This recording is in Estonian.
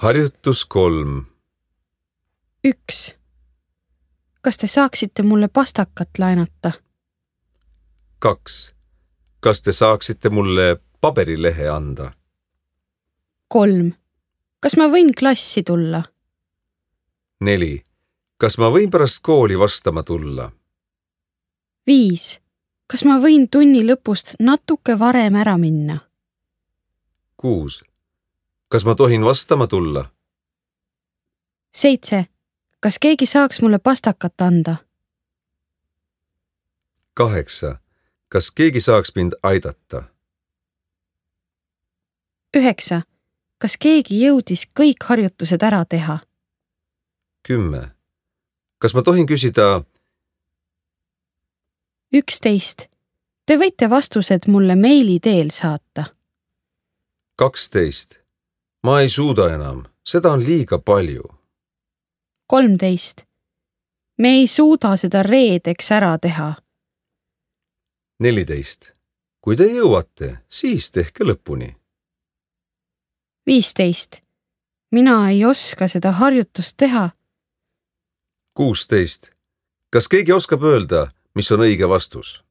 Harjutus 3. 1. Kas te saaksite mulle pastakat laenata? 2. Kas te saaksite mulle paberilehe anda? 3. Kas ma võin klassi tulla? 4. Kas ma võin pärast kooli vastama tulla? 5. Kas ma võin tunni lõpust natuke varem ära minna? 6. Kas ma tohin vastama tulla? 7. Kas keegi saaks mulle pastakat anda? 8. Kas keegi saaks mind aidata? 9. Kas keegi jõudis kõik harjutused ära teha? 10. Kas ma tohin küsida? 11. Te võite vastused mulle meili teel saata. 12. Ma ei suuda enam, seda on liiga palju. 13. Me ei suuda seda reedeks ära teha. 14. Kui te jõuate, siis tehke lõpuni. 15. Mina ei oska seda harjutust teha. 16. Kas keegi oskab öelda, mis on õige vastus?